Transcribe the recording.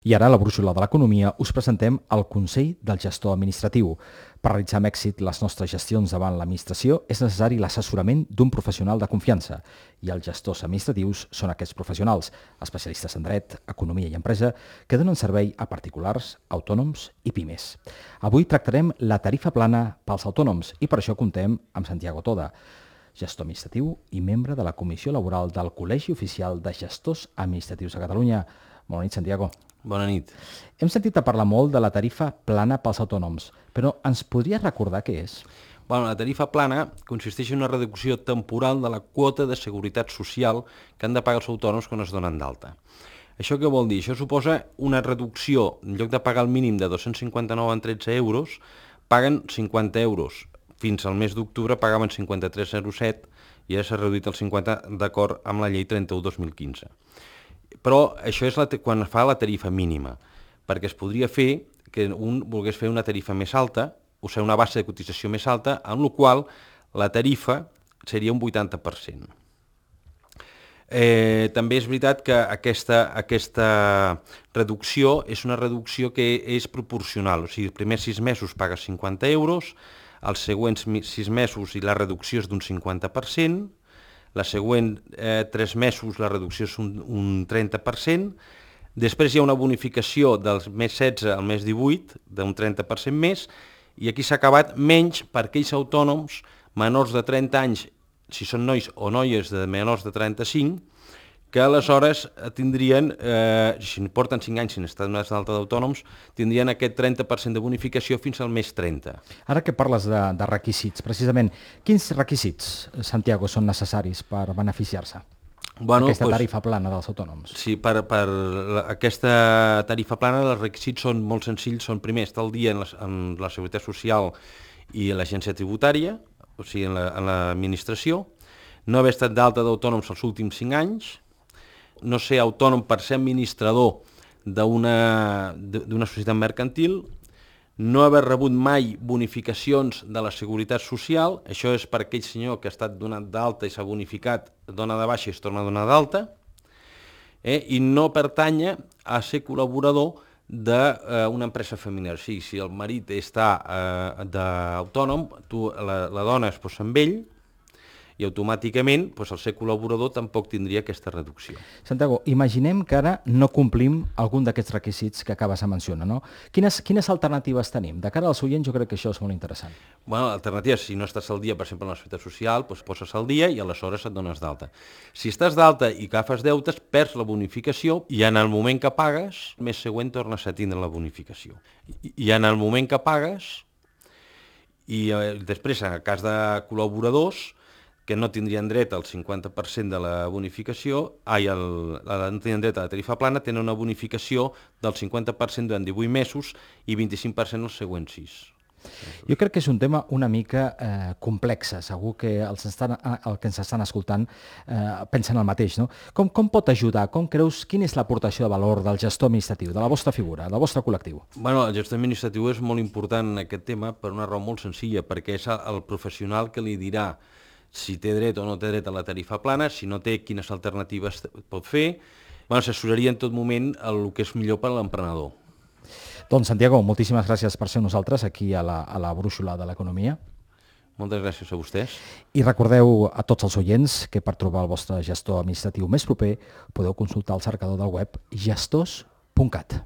I ara, a la brúixola de l'economia, us presentem el Consell del Gestor Administratiu. Per realitzar amb èxit les nostres gestions davant l'administració és necessari l'assessorament d'un professional de confiança. I els gestors administratius són aquests professionals, especialistes en dret, economia i empresa, que donen servei a particulars, autònoms i pimes. Avui tractarem la tarifa plana pels autònoms i per això contem amb Santiago Toda, gestor administratiu i membre de la Comissió Laboral del Col·legi Oficial de Gestors Administratius de Catalunya. Bona nit, Santiago. Bona nit. Hem sentit a parlar molt de la tarifa plana pels autònoms, però ens podries recordar què és? La tarifa plana consisteix en una reducció temporal de la quota de seguretat social que han de pagar els autònoms quan es donen d'alta. Això què vol dir? Això suposa una reducció, en lloc de pagar el mínim de 259 en 13 euros, paguen 50 euros. Fins al mes d'octubre pagaven 53,07 i ara s'ha reduït el 50 d'acord amb la llei 31/2015. Però això és quan fa la tarifa mínima, perquè es podria fer que un volgués fer una tarifa més alta, o sigui, una base de cotització més alta, amb la qual la tarifa seria un 80%. També és veritat que aquesta reducció és una reducció que és proporcional, o sigui, els primers 6 mesos pagues 50 euros, els següents 6 mesos i la reducció és d'un 50%, la següent 3 mesos la reducció és un 30%, després hi ha una bonificació del mes 16 al mes 18 d'un 30% més, i aquí s'ha acabat menys per aquells autònoms menors de 30 anys, si són nois o noies de menors de 35, que aleshores tindrien, si porten 5 anys sin estar donats d'alta d'autònoms, tindrien aquest 30% de bonificació fins al mes 30. Ara que parles de requisits, precisament, quins requisits, Santiago, són necessaris per beneficiar-se d'aquesta tarifa plana dels autònoms? Sí, per aquesta tarifa plana els requisits són molt senzills, són primer estar al dia en la Seguretat Social i l'Agència Tributària, o sigui, en l'administració, no haver estat d'alta d'autònoms els últims 5 anys, no ser autònom per ser administrador d'una societat mercantil, no haver rebut mai bonificacions de la Seguretat Social, això és per aquell senyor que ha estat donat d'alta i s'ha bonificat, dona de baixa i es torna a donar d'alta, i no pertanya a ser col·laborador d'una empresa familiar. O sigui, si el marit està d'autònom, la dona es posa amb ell, i automàticament el ser col·laborador tampoc tindria aquesta reducció. Santiago, imaginem que ara no complim algun d'aquests requisits que acabes de mencionar, no? Quines alternatives tenim? De cara als oients jo crec que això és molt interessant. L'alternativa, si no estàs al dia, per exemple, en la Seguretat Social, poses al dia i aleshores et dones d'alta. Si estàs d'alta i agafes deutes, perds la bonificació i en el moment que pagues, el mes següent tornes a tindre la bonificació. I en el moment que pagues, i després, en el cas de col·laboradors, que no tindrien dret al 50% de la bonificació, no tindrien dret a la tarifa plana, tenen una bonificació del 50% durant 18 mesos i 25% els següents 6. Jo crec que és un tema una mica complex. Segur que els que ens estan escoltant pensen el mateix, no? Com pot ajudar? Com creus? Quina és l'aportació de valor del gestor administratiu, de la vostra figura, del vostre col·lectiu? El gestor administratiu és molt important en aquest tema per una raó molt senzilla, perquè és el professional que li dirà si té dret o no té dret a la tarifa plana, si no té, quines alternatives pot fer. S'assessoraria en tot moment el que és millor per a l'emprenedor. Doncs, Santiago, moltíssimes gràcies per ser nosaltres aquí a la brúixola de l'economia. Moltes gràcies a vostès. I recordeu a tots els oients que per trobar el vostre gestor administratiu més proper podeu consultar el cercador del web gestors.cat.